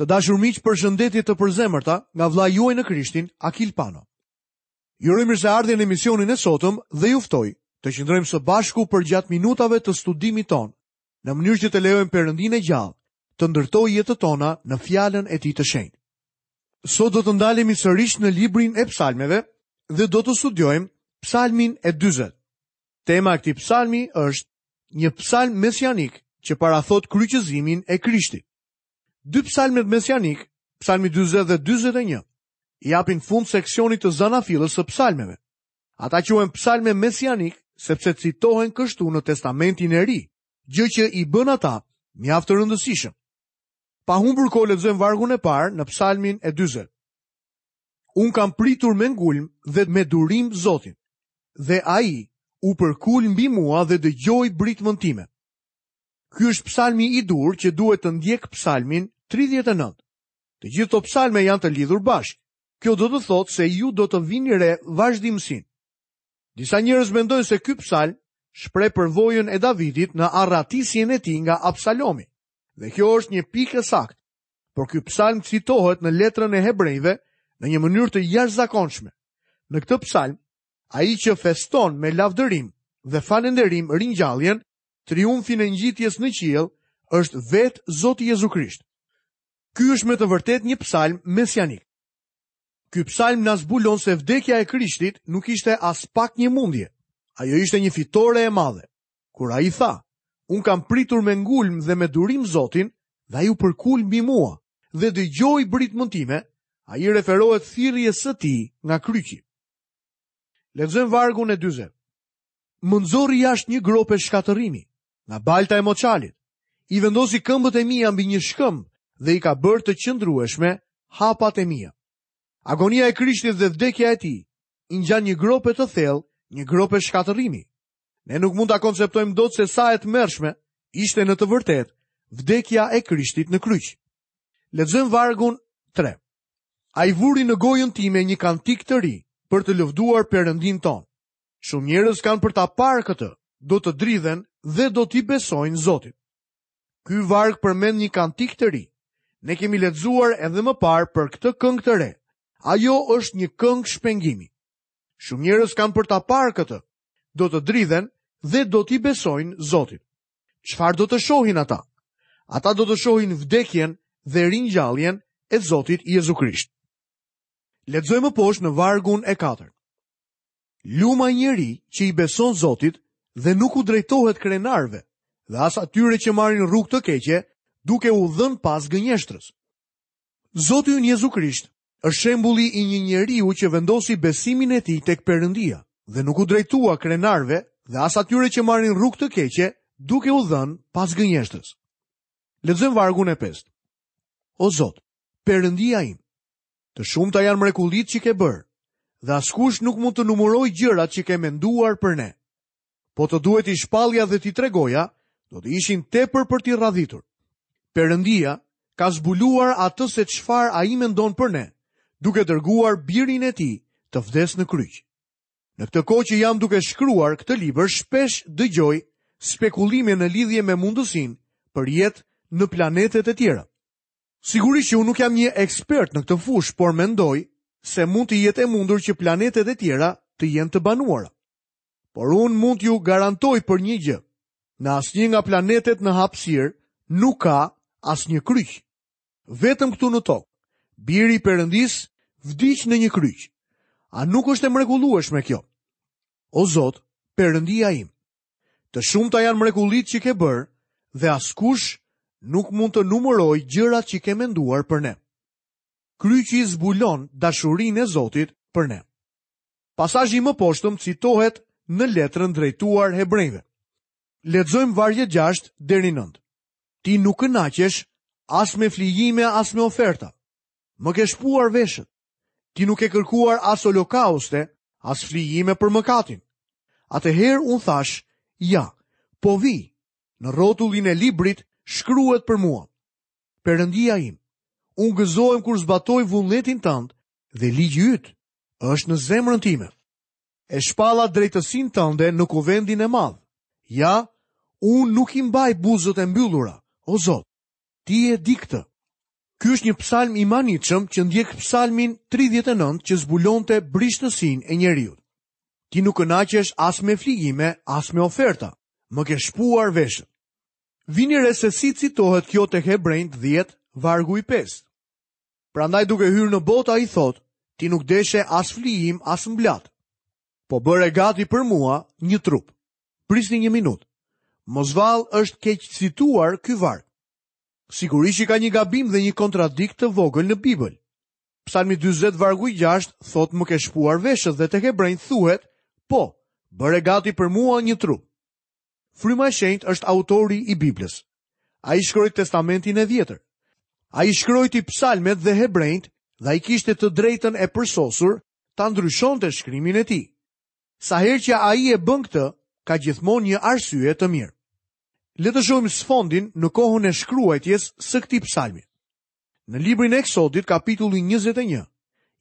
Të dashur miq, përshëndetje të përzemërta nga vëllai juaj në Krishtin, Akil Pano. Ju uroj mirëseardhje në emisionin e sotëm dhe ju ftoj të qëndrojmë së bashku përgjatë minutave të studimit tonë, në mënyrë që të lejojmë Perëndinë e gjallë të ndërtojë jetët tona në fjalën e tij të shenjtë. Sot do të ndalemi sërish në librin e psalmeve dhe do të studiojmë psalmin e 40. Tema e këtij psalmi është një psalm mesianik që parathotë kryqëzimin e Krishtit. Dy psalmet mesianikë, psalmi 40 dhe 41, i japin fund seksionit të zanafillës së psalmeve. Ata quhen psalme mesianikë sepse citohen kështu në Testamentin e Ri, gjë që i bën ata mjaft të rëndësishëm. Pa humbur kohë lexojmë vargun e parë në psalmin e 40. Unë kam pritur me ngulm dhe me durim Zotin, dhe ai u përkul mbi mua dhe dëgjoi britmën time. Ky është psalmi i duhur që duhet të ndjekë psalmin 39. Të gjithë këto psalme janë të lidhur bashkë. Kjo do të thotë se ju do të vini re vazhdimësinë. Disa njerëz mendojnë se ky psalm shpreh përvojën e Davidit në arratisjen e tij nga Absalomi. Dhe kjo është një pikë e saktë. Por ky psalm citohet në letrën e Hebrenjve në një mënyrë të jashtëzakonshme. Në këtë psalm, ai që feston me lavdërim dhe falënderim ringjalljen, triumfin e ngjitjes në qiell, është vetë Zoti Jezu Krisht. Ky është me të vërtetë një psalm mesianik. Ky psalm na zbulon se vdekja e Krishtit nuk ishte aspak një mundje. Ajo ishte një fitore e madhe. Kur ai tha, unë kam pritur me ngulm dhe me durim Zotin, dhe ai u përkul mbi mua dhe dëgjoi britmën time, ai i referohet thirrjes së tij nga kryqi. Lexojmë vargun e 40. Më nxori jashtë një grope shkatërrimi, nga balta e moçalit. I vendosi këmbët e mia mbi një shkëmb dhe i ka bërë të qëndrueshme hapat e mia. Agonia e Krishtit dhe vdekja e tij i ngjan një grope të thellë, një grope shkatërrimi. Ne nuk mund ta konceptojmë dot se sa e tmerrshme ishte në të vërtetë vdekja e Krishtit në kryq. Lexojmë vargun 3. Ai vuri në gojën time një kantik të ri për të lëvduar Perëndinë tonë. Shumë njerëz kanë për ta parë këtë, do të dridhen dhe do t'i besojnë Zotit. Ky varg përmend një kantik të ri. Ne kemi lexuar edhe më parë për këtë këngë të re. Ajo është një këngë shpengimi. Shumë njerëz kanë për ta parë këtë, do të dridhen dhe do t'i besojnë Zotit. Çfarë do të shohin ata? Ata do të shohin vdekjen dhe ringjalljen e Zotit Jezu Krisht. Lexojmë më poshtë në vargun e 4. Lum ai njeri që i beson Zotit dhe nuk u drejtohet krenarëve dhe as atyre që marrin rrugë të keqe duke u dhënë pas gënjeshtrës. Zoti ynë Jezu Krisht është shembulli i një njeriu që vendosi besimin e tij tek Perëndia dhe nuk u drejtua krenarëve dhe as atyre që marrin rrugë të keqe duke u dhënë pas gënjeshtrës. Lexojmë vargun e 5. O Zot, Perëndia im, të shumta janë mrekullitë që ke bërë dhe askush nuk mund të numërojë gjërat që ke menduar për ne. Po të duhej t'i shpallja dhe t'i tregoja, do të ishin tepër për t'i radhitur. Perëndia ka zbuluar atë se çfarë ai mendon për ne, duke dërguar birin e tij të vdesë në kryq. Në këtë kohë që jam duke shkruar këtë libër, shpesh dëgjoj spekulime në lidhje me mundësinë për jetë në planetet e tjera. Sigurisht që unë nuk jam një ekspert në këtë fushë, por mendoj se mund të jetë e mundur që planetet e tjera të jenë të banuara. Por unë mund t'ju garantoj për një gjë. Në asnjë nga planetet në hapësirë nuk ka asnjë kryq. Vetëm këtu në tokë, biri i Perëndisë vdiq në një kryq. A nuk është e mrekullueshme kjo? O Zot, Perëndia im, të shumta janë mrekullitë që ke bërë dhe askush nuk mund të numërojë gjërat që ke menduar për ne. Kryqi zbulon dashurinë e Zotit për ne. Pasazhi i mëposhtëm citohet në letrën drejtuar hebrejve. Lexojmë vargjet 6 deri 9. Ti nuk kënaqesh as me flijime as me oferta. Më ke shpuar veshët. Ti nuk ke kërkuar as holokauste, as flijime për mëkatin. Atëherë unë thashë, ja, po vij, në rrotullin e librit shkruhet për mua. Perëndia im, unë gëzohem kur zbatoj vullnetin tënd dhe ligji yt është në zemrën time. E shpalla drejtësinë tënde në kuvendin e madh. Ja, unë nuk i mbaj buzët e mbyllura, o Zot, ti e di këtë. Ky është një psalm i mahnitshëm që ndjek psalmin 39 që zbulonte brishtësinë e njeriut. Ti nuk kënaqesh as me flijime, as me oferta. Më ke shpuar veshët. Vini re se si citohet kjo tek Hebrenjtë 10, vargu i 5. Prandaj duke hyrë në botë ai thotë, ti nuk deshe as flijim, as mblatë. Po bëre gati për mua një trup. Prisni një minutë. Mos vallë është keqcituar ky varg. Sigurisht që ka një gabim dhe një kontradiktë të vogël në Bibël. Psalmi 40 vargu i 6 thotë më ke shpuar veshët dhe tek Hebrenjtë thuhet, po, bëre gati për mua një trup. Fryma e Shenjtë është autori i Biblës. Ai shkroi Testamentin e Vjetër. Ai shkrojti Psalmet dhe Hebrenjtë dhe ai kishte të drejtën e përsosur ta ndryshonte shkrimin e tij. Sa herë që ai e bën këtë, ka gjithmonë një arsye të mirë. Le të shohim sfondin në kohën e shkruajtjes së këtij psalmi. Në librin e Eksodit, kapitulli 21,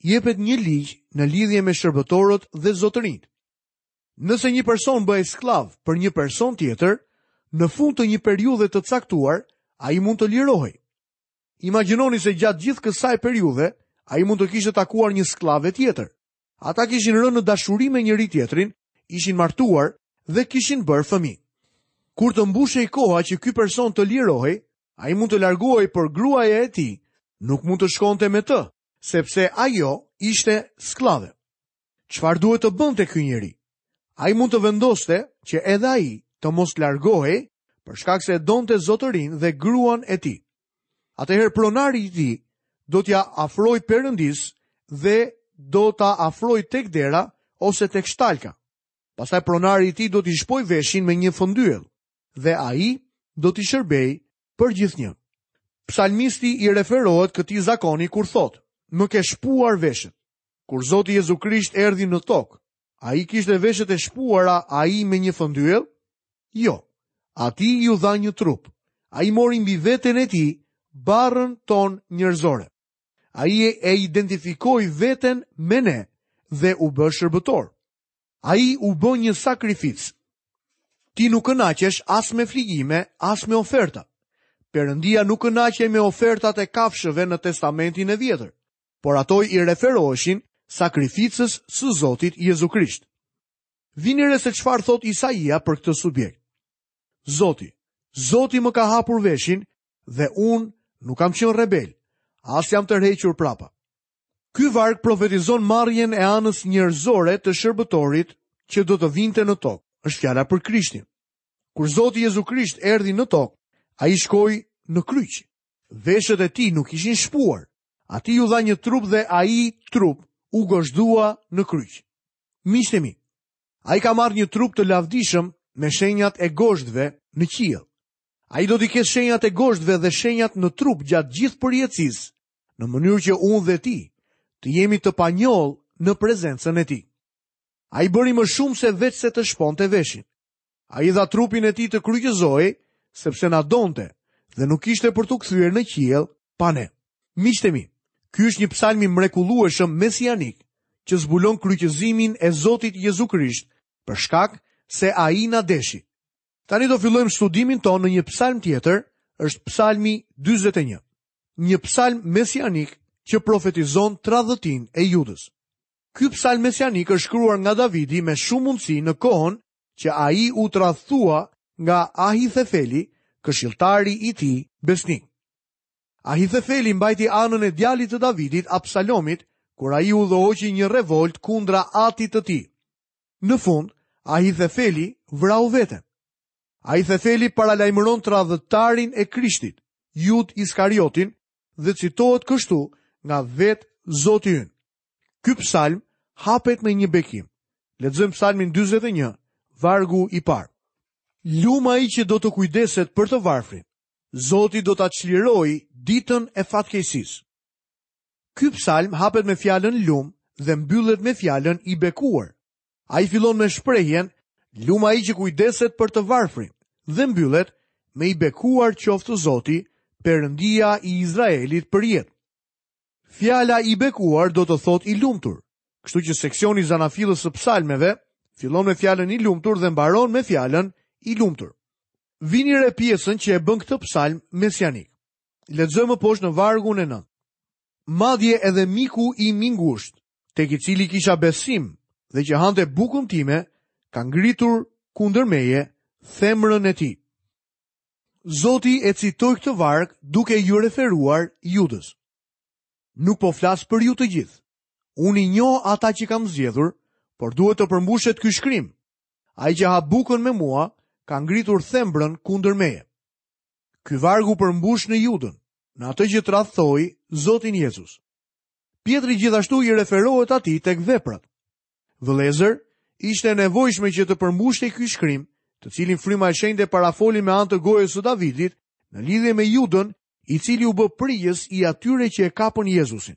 jepet një ligj në lidhje me shërbëtorët dhe zotërinjtë. Nëse një person bëhej skllav për një person tjetër, në fund të një periudhe të caktuar, ai mund të lirohej. Imagjinoni se gjatë gjithë kësaj periudhe, ai mund të kishte takuar një skllave tjetër. Ata kishin rënë në dashuri me njëri-tjetrin, ishin martuar dhe kishin bërë fëmijë. Kur të mbushej koha që ky person të lirohej, ai mund të largohej, por gruaja e tij nuk mund të shkonte me të, sepse ajo ishte skllave. Çfarë duhet të bënte ky njeri? Ai mund të vendoste që edhe ai të mos largohej për shkak se e donte zotërinë dhe gruan e tij. Atëherë pronari i tij do t'ia afrojë Perëndisë dhe do ta afrojë tek dera ose tek shtalka. Pastaj pronari i tij do t'i shpojë veshin me një fëndyell dhe ai do t'i shërbejë përgjithnjë. Psalmisti i referohet këtij zakoni kur thotë: "Më ke shpuar veshët." Kur Zoti Jezu Krisht erdhi në tokë, ai kishte veshët e shpuara ai me një fëndyell? Jo. Atij iu dha një trup. Ai mori mbi veten e tij barrën tonë njerëzore. Ai e identifikoi veten me ne dhe u bë shërbëtor. Ai u bë një sakrificë. Ti nuk kënaqesh as me flijime, as me oferta. Perëndia nuk kënaqej me ofertat e kafshëve në Testamentin e Vjetër. por ato i referoheshin sakrificës së Zotit Jezu Krisht. Vini re se çfarë thotë Isaia për këtë subjekt. Zoti, Zoti më ka hapur veshin dhe unë nuk kam qenë rebel, as jam tërhequr prapa. Ky varg profetizon marrjen e anës njerëzore të shërbëtorit që do të vinte në tokë. Është fjala për Krishtin. Kur Zoti Jezu Krisht erdhi në tokë, ai shkoi në kryq. Veshët e tij nuk ishin shpuar. Atij iu dha një trup dhe ai trup u gozhdua në kryq. Miqtë e mi, ai ka marrë një trup të lavdishëm me shenjat e gozhdëve në qiell. Ai do t'i ketë shenjat e gozhdëve dhe shenjat në trup gjatë gjithë përjetësisë, në mënyrë që unë dhe ti të jemi të panjollë në prezencën e tij. Ai bëri më shumë se veçse të shponte veshin. Ai dha trupin e tij të kryqëzohej, sepse na donte dhe nuk ishte për t'u kthyer në qiell pa ne. Miqtë e mi, ky është një psalm i mrekullueshëm mesianik që zbulon kryqëzimin e Zotit Jezu Krisht për shkak se ai na deshi. Tani do fillojmë studimin tonë në një psalm tjetër, është psalmi 41. Një psalm mesianik që profetizon tradhëtinë e Judës. Ky psalm mesianik është shkruar nga Davidi me shumë mundësi në kohën që ai u tradhtua nga Ahithefeli, këshilltari i tij besnik. Ahithefeli mbajti anën e djalit të Davidit, Absalomit, kur ai udhëhoqi një revoltë kundra atit të tij. Në fund, Ahithefeli vrau veten. Ahithefeli paralajmëron tradhëtarin e Krishtit, Judë Iskariotin, dhe citohet kështu nga vetë Zoti ynë. Ky psalm hapet me një bekim. Lexojmë psalmin 41, vargu i parë. Lum ai që do të kujdeset për të varfrin. Zoti do ta çlirojë ditën e fatkeqësisë. Ky psalm hapet me fjalën lum dhe mbyllet me fjalën i bekuar. Ai fillon me shprehjen lum ai që kujdeset për të varfrin dhe mbyllet me i bekuar qoftë Zoti, Perëndia i Izraelit përjetë. Fjala i bekuar do të thotë i lumtur. Kështu që seksioni i zanafillës së psalmeve fillon me fjalën i lumtur dhe mbaron me fjalën i lumtur. Vini re pjesën që e bën këtë psalm mesianik. Lexojmë më poshtë në vargun e 9. Madje edhe miku im i ngushtë, tek i cili kisha besim dhe që hante bukën time, ka ngritur kundër meje thembrën e tij. Zoti e citoi këtë varg duke iu referuar Judës. Nuk po flas për ju të gjithë. Unë i njoh ata që kam zgjedhur, por duhet të përmbushet ky shkrim. Ai që ha bukën me mua, ka ngritur thembrën kundër meje. Ky varg u përmbush në Judën, në atë që tradhtoi Zotin Jezus. Pjetri gjithashtu i referohet atij tek veprat. Vëllezër, ishte e nevojshme që të përmbushej ky shkrim, të cilin fryma e shenjtë e parafoli me anë të gojës së Davidit, në lidhje me Judën, i cili u bë prijës i atyre që e kapën Jezusin.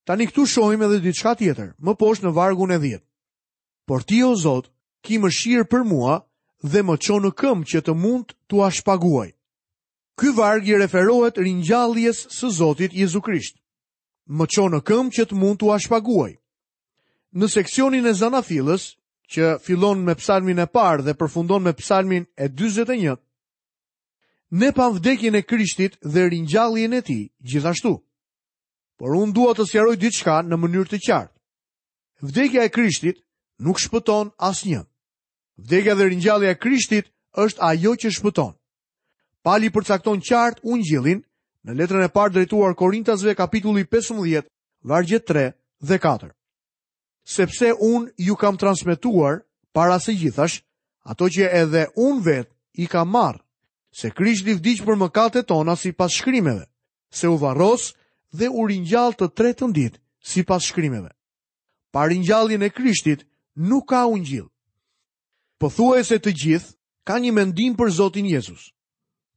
Tani këtu shohim edhe diçka tjetër, më poshtë në vargun e 10. Por ti o Zot, ki mëshirë për mua dhe më ço në këmbë që të mund t'ua shpaguaj. Ky varg i referohet ringjalljes së Zotit Jezu Krisht. Më ço në këmbë që të mund t'ua shpaguaj. Në seksionin e Zanafillës, që fillon me psalmin e parë dhe përfundon me psalmin e 41, ne pamë vdekjen e Krishtit dhe ringjalljen e tij gjithashtu. Por unë dua të sqaroj diçka në mënyrë të qartë. Vdekja e Krishtit nuk shpëton asnjë. Vdekja dhe ringjallja e Krishtit është ajo që shpëton. Pali përcakton qartë ungjillin në letrën e parë drejtuar Korintasve kapitulli 15, vargjet 3 dhe 4. Sepse unë ju kam transmetuar para së gjithash ato që edhe unë vetë i kam marrë, se Krishti vdiq për mëkatet tona sipas shkrimeve, se u varros dhe u ringjall të tretën ditë sipas shkrimeve. Pa ringjalljen e Krishtit nuk ka ungjill. Pothuajse të gjithë kanë një mendim për Zotin Jezus.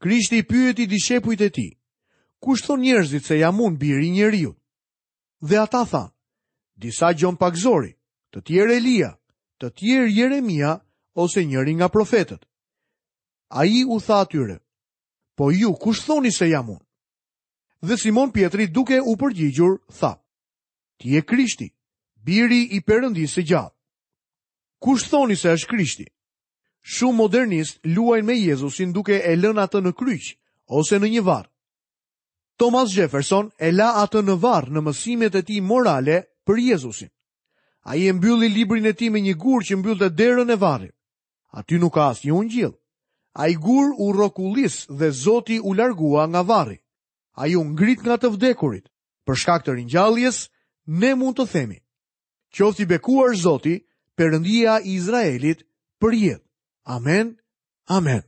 Krishti i pyeti dishepujt e tij, kush thonë njerëzit se jam unë biri i njeriut? Dhe ata thanë, disa Gjon Pagëzori, të tjerë Elia, të tjerë Jeremia ose njëri nga profetët. Ai u tha atyre, Po ju, kush thoni se jam unë? Dhe Simon Pjetri duke u përgjigjur, tha, Ti je Krishti, biri i Perëndisë së gjallë. Kush thoni se është Krishti? Shumë modernistë luajnë me Jezusin duke e lënë atë në kryq ose në një varr. Thomas Jefferson e la atë në varr në mësimet e tij morale për Jezusin. Ai e mbylli librin e tij me një gur që mbyllte derën e varrit. Aty nuk ka asnjë ungjill. Ai gur u rrokullis dhe Zoti u largua nga varri. Ai u ngrit nga të vdekurit. Për shkak të ringjalljes, ne mund të themi: Qoftë i bekuar Zoti, Perëndia i Izraelit, për jetë. Amen. Amen.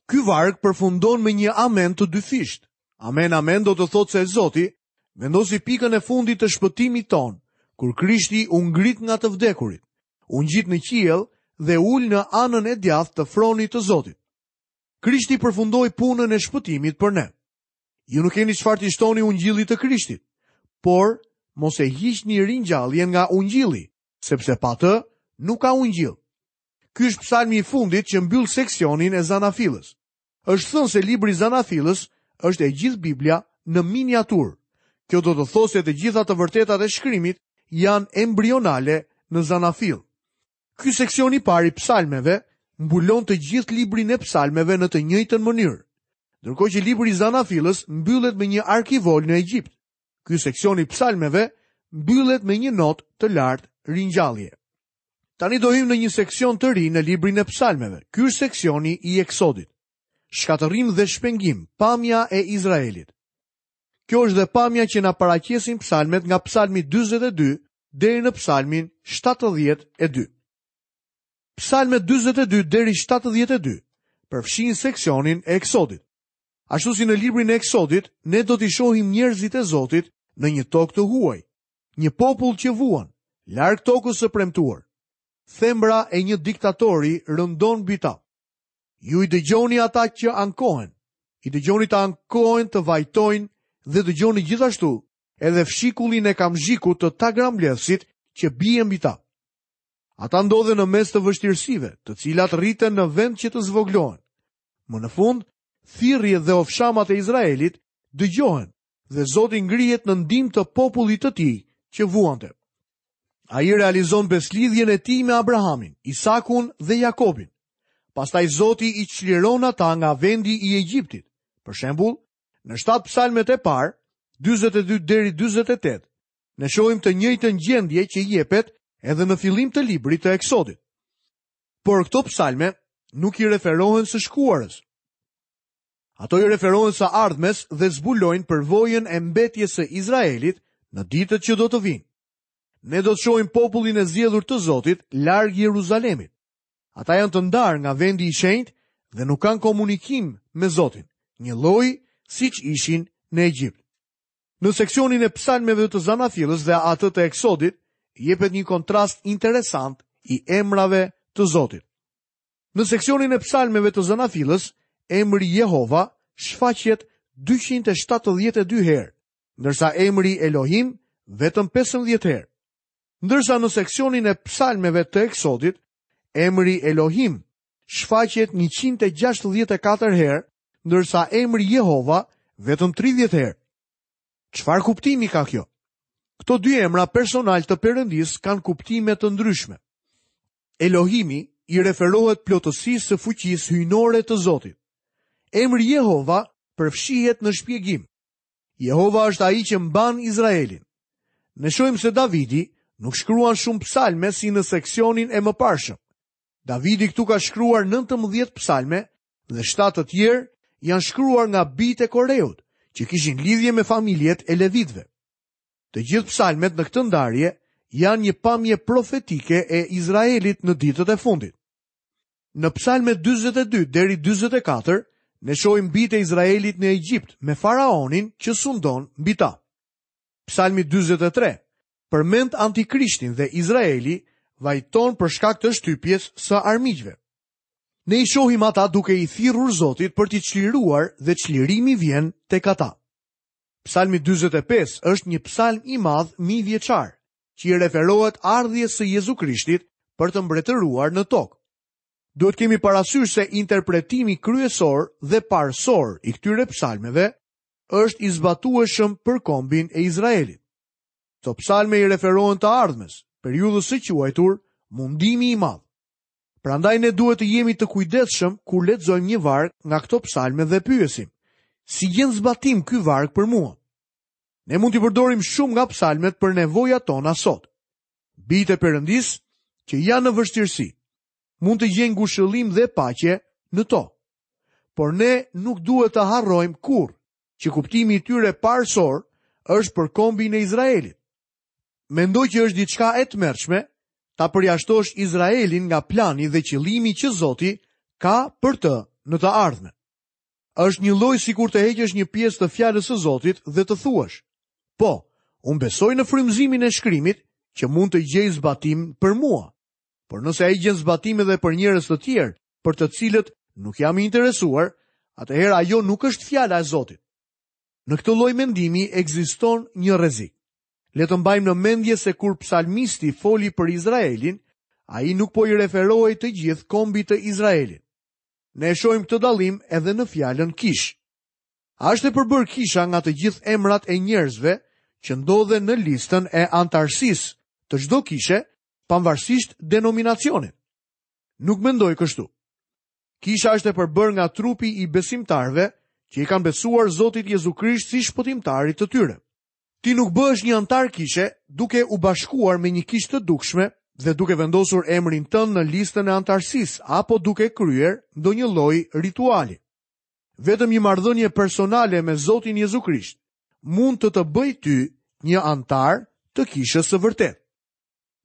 Ky varg përfundon me një amen të dyfishtë. Amen, amen do të thotë se Zoti vendosi pikën e fundit të shpëtimit tonë, kur Krishti u ngrit nga të vdekurit, u ngjit në qiell dhe u ul në anën e djathtë të fronit të Zotit. Krishti përfundoi punën e shpëtimit për ne. Ju nuk keni çfarë t'i shtoni ungjillit të Krishtit, por mos e hiqni ringjalljen nga ungjilli, sepse pa të nuk ka ungjill. Ky është psalmi i fundit që mbyll seksionin e Zanafillës. Është thënë se libri i Zanafillës është e gjithë Biblia në miniaturë. Kjo do të thotë se të gjitha të vërtetat e shkrimit janë embrionale në Zanafillë. Ky seksion i parë i psalmeve mbulon të gjithë librin e psalmeve në të njëjtën mënyrë. Ndërkohë që libri i Zanafillës mbyllet me një arkivol në Egjipt. Ky seksion i psalmeve mbyllet me një notë të lartë ringjallje. Tani do hyjmë në një seksion të ri në librin e psalmeve. Ky është seksioni i Eksodit. Shkatërrim dhe shpengim, pamja e Izraelit. Kjo është dhe pamja që na paraqesin psalmet nga psalmi 42 deri në psalmin 72. Psalmet 42 deri 72 përfshijnë seksionin e Eksodit. Ashtu si në librin e Eksodit, ne do t'i shohim njerëzit e Zotit në një tokë të huaj, një popull që vuan, larg tokës së premtuar. Thembra e një diktatori rëndon mbi ta. Ju i dëgjoni ata që ankohen, i dëgjoni të ankohen të vajtojnë dhe dëgjoni gjithashtu edhe fshikullin e kamzhikut të tagrambledhësit që bie mbi ta. Ata ndodhen në mes të vështirësive, të cilat rriten në vend që të zvogëlohen. Më në fund, thirrjet dhe ofshamat e Izraelit dëgjohen dhe Zoti ngrihet në ndihmë të popullit të tij që vuante. Ai realizon besëlidhjen e tij me Abrahamin, Isakun dhe Jakobin. Pastaj Zoti i çliron ata nga vendi i Egjiptit. Për shembull, Në 7 psalmet e parë, 42 deri 48, ne shohim të njëjtën gjendje që jepet edhe në fillim të librit të Eksodit. Por këto psalme nuk i referohen së shkuarës. Ato i referohen së ardhmes dhe zbulojnë përvojën e mbetjes së Izraelit në ditët që do të vijnë. Ne do të shohim popullin e zgjedhur të Zotit larg Jeruzalemit. Ata janë të ndarë nga vendi i shenjtë dhe nuk kanë komunikim me Zotin, njëlloj siç ishin në Egjipt. Në seksionin e psalmeve të Zanafillës dhe atë të Eksodit, jepet një kontrast interesant i emrave të Zotit. Në seksionin e psalmeve të Zanafillës, emri Jehova shfaqet 272 herë, ndërsa emri Elohim vetëm 15 herë. Ndërsa në seksionin e psalmeve të Eksodit, emri Elohim shfaqet 164 herë, ndërsa emri Jehova vetëm 30 herë. Çfarë kuptimi ka kjo? Këto dy emra personalë të Perëndisë kanë kuptime të ndryshme. Elohimi i referohet plotësisë së fuqisë hyjnore të Zotit. Emri Jehova përfshihet në shpjegim. Jehova është ai që mban Izraelin. Ne shohim se Davidi nuk shkruan shumë psalme si në seksionin e mëparshëm. Davidi këtu ka shkruar 19 psalme dhe 7 të tjerë janë shkruar nga bijtë e Koreut, që kishin lidhje me familjet e levitëve. Të gjithë psalmet në këtë ndarje janë një pamje profetike e Izraelit në ditët e fundit. Në psalmet 42 deri 44, ne shohim bijtë e Izraelit në Egjipt me faraonin që sundon mbi ta. Psalmi 43 përmend antikrishtin dhe Izraeli vajton për shkak të shtypjes së armiqve. Ne i shohim ata duke i thirrur Zotit për t'i çliruar dhe çlirimi vjen tek ata. Psalmi 45 është një psalm i madh mijëvjeçar, që i referohet ardhjes së Jezu Krishtit për të mbretëruar në tokë. Duhet kemi parasysh se interpretimi kryesor dhe parësor i këtyre psalmeve është i zbatueshëm për kombin e Izraelit. Këto psalme i referohen të ardhmes, periudhës së quajtur mundimi i madh. Prandaj ne duhet të jemi të kujdesshëm kur lexojmë një varg nga këto psalme dhe pyesim, si gjen zbatim ky varg për mua? Ne mund t'i përdorim shumë nga psalmet për nevojat tona sot. Bijtë e Perëndisë që janë në vështirësi, mund të gjejnë ngushëllim dhe paqe në to. Por ne nuk duhet të harrojmë kurrë që kuptimi i tyre parësor është për kombin e Izraelit. Mendoj që është diçka e tmerrshme ta përjashtosh Izraelin nga plani dhe qëllimi që Zoti ka për të në të ardhmen. Është njëlloj sikur të heqësh një pjesë të fjalës së Zotit dhe të thuash: "Po, unë besoj në frymëzimin e shkrimit që mund të gjejë zbatim për mua." Por nëse ai gjen zbatim edhe për njerëz të tjerë, për të cilët nuk jam i interesuar, atëherë ajo nuk është fjala e Zotit. Në këtë lloj mendimi ekziston një rrezik. Le të mbajmë në mendje se kur psalmisti foli për Izraelin, ai nuk po i referohej të gjithë kombit të Izraelit. Ne e shohim këtë dallim edhe në fjalën kishë. A është e përbërë kisha nga të gjithë emrat e njerëzve që ndodhen në listën e anëtarësisë të çdo kishe, pavarësisht denominacionit? Nuk mendoj kështu. Kisha është e përbërë nga trupi i besimtarëve që i kanë besuar Zotit Jezu Krisht si shpëtimtarit të tyre. Ti nuk bëhesh një anëtar kishe duke u bashkuar me një kishë të dukshme dhe duke vendosur emrin tënd në listën e anëtarësisë apo duke kryer ndonjë lloj rituali. Vetëm një marrëdhënie personale me Zotin Jezu Krisht mund të të bëjë ty një anëtar të kishës së vërtetë.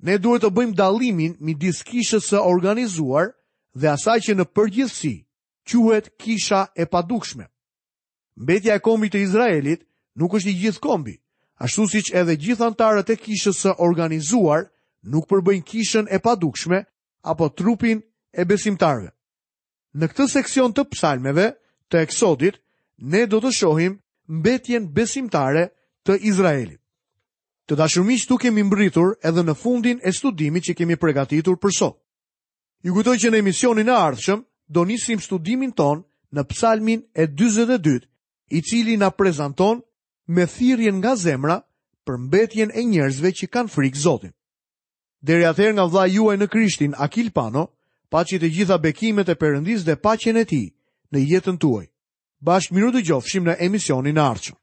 Ne duhet të bëjmë dallimin midis kishës së organizuar dhe asaj që në përgjithësi quhet kisha e padukshme. Mbetja e kombit të Izraelit nuk është i gjithë kombi, ashtu siç edhe gjithë anëtarët e kishës së organizuar nuk përbëjnë kishën e padukshme apo trupin e besimtarëve. Në këtë seksion të psalmeve të Eksodit, ne do të shohim mbetjen besimtare të Izraelit. Të dashur miq, këtu kemi mbërritur edhe në fundin e studimit që kemi përgatitur për sot. Ju kujtoj që në emisionin e ardhshëm do nisim studimin tonë në psalmin e 42, i cili na prezanton me thirrjen nga zemra për mbetjen e njerëzve që kanë frikë Zotin. Deri atëherë nga vëllai juaj në Krishtin, Akil Pano, paçi të gjitha bekimet e Perëndisë dhe paqen e tij në jetën tuaj. Bashkë mirudëgjofshim në emisionin e ardhshëm.